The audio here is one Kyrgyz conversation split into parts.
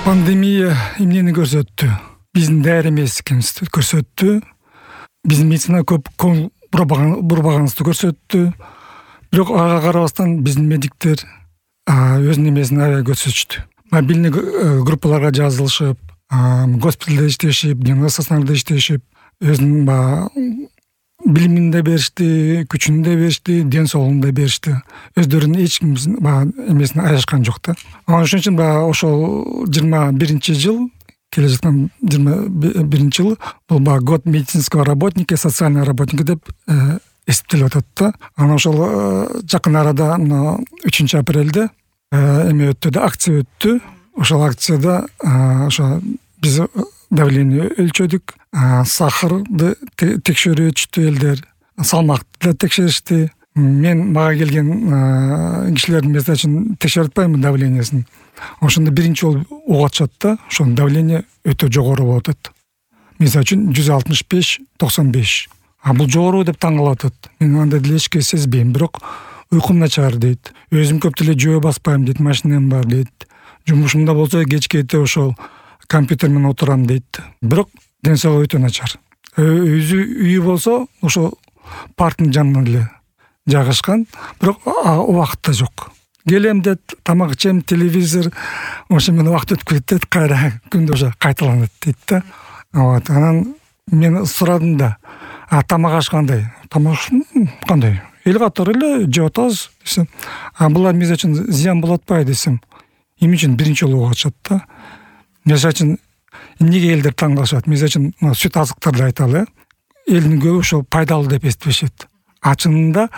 Пандемия эмнени көрсөттү? Биздин даяр эмес экенибизди көрсөттү. Биздин медицина көп көңүл бурбаганыбызды көрсөттү. Бирок ага карабастан биздин медиктер өзүнүн эмесин аябай көрсөтүштү. Мобильный группаларга жазылышып, госпиталда иштешип, дневной стационарда иштешип, өзүнүн билимин да беришти, күчүн да беришти, ден соолугун да беришти. Өздөрүнүн эч ким эмесин аяшкан жок да. Ошон үчүн ошол 21-жыл, келе жаткан 21 жыл бул год медицинского работника, социального работника деп эсептелип атат да. Анан ошол жакын арада 3 апрелде эме өттү да, акция өттү. Ошол акцияда ошо биз давление өлчөдүк, сахарды текшерүү өтүштү элдер, салмакты да текшеришти. Мага келген кишилердин мисалы текшерип атпаймынбы давлениесин. Ошондо биринчи жолу угуп атышат да, ошонун давление өтө жогору болуп атат. Мисалы үчүн 165-95. Бул жогору деп таң калып атат. Мен андай деле эчке сезбейм, бирок уйкум начар дейт. Өзүм көп деле жөө баспайм дейт, машинам бар дейт. Жумушумда болсо кечке ошол компьютер менен отурам дейт. Бирок ден соолугу өтө начар. Үйү болсо ошо парктын жанында эле жайгашкан, бирок убакыт да жок. Келем дейт, тамак ичем, телевизор, ошо менен убакыт өтүп кетет, кайра күндө ошо кайталанат дейт да. Анан мен сурадым да, тамак аш кандай? Тамак кандай? Эл катары эле жеп атабыз десем, булар мисалы үчүн зыян болуп атпайбы десем, эмне үчүн биринчи жолу угуп атышат да. Мисалы үчүн эмнеге элдер таң калышат? Мисалы үчүн сүт азыктарды айталы, элдин көбү ошо пайдалуу деп эсептешет. Чынында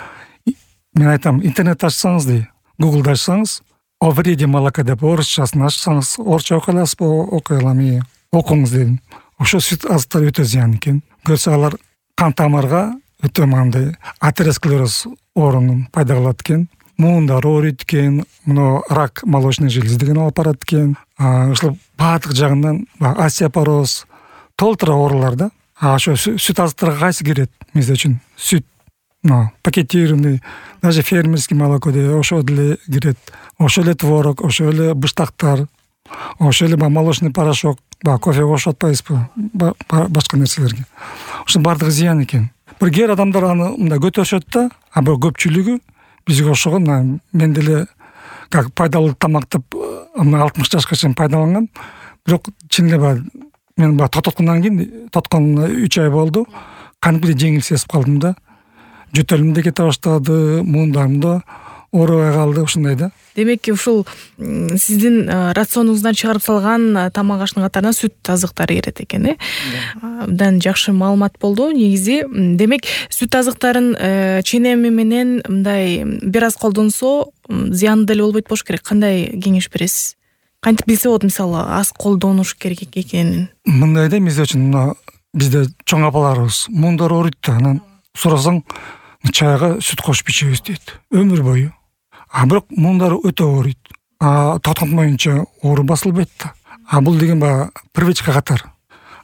мен айтам, интернет ачсаңыз дей, Google'да ачсаңыз, о вреде молока деп орусчасын ачсаңыз, орусча окуй аласызбы? Окуй алам, окуңуз дедим. Ошо сүт азыктар өтө зыян экен. Көрсө алар кан тамырга өтө мындай атеросклероз оорунун пайда кылат экен. Муундар ооруйт экен, мына рак молочной железы деген алып барат экен. Ошол баардык жагынан остеопороз, толтура оорулар да. Ошо сүт азыктарга кайсы кирет? Мисалы үчүн сүт, пакетированный, даже фермерский молоко деп ошо деле кирет. Ошо эле творог, ошо эле быштактар, ошо эле молочный порошок, кофе кошуп атпайбызбы? Башка нерселерге. Ошо баардыгы зыян экен. Бир кээ адамдар аны мындай көтөрүшөт да, бирок көпчүлүгү бизге окшогон, мен деле как пайдалуу тамак деп 60 жашка чейин пайдаланган, бирок чын эле мен токтоткондон кийин, тотконуна 3 ай болду, кантип жеңил сезип калдым да. Жөтөлүм да кете баштады, муундарым да оорубай калды, ушундай да. Демек, ушул сиздин рационуңуздан чыгарып салган тамак аштын катарына сүт азыктары кирет экен, Абдан жакшы маалымат болду. Негизи, демек, сүт азыктарын ченеми менен мындай бир аз колдонсо зыяны деле болбойт болуш керек. Кандай кеңеш бересиз? Кантип билсе болот, мисалы, аз колдонуш керек экенин? Мындай да, мисалы үчүн бизде чоң апаларыбыз муундар ооруйт да, анан сурасаң чайга сүт кошуп ичебиз дейт. Өмүр бою. Бирок муундар өтө ооруйт. Токтотмоюнча оору басылбайт да. Бул деген привычка катар.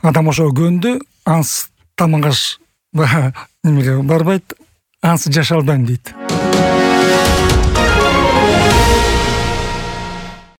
Адам ошо көндү, ансыз тамак аш немеге барбайт, ансыз жашай албайм дейт.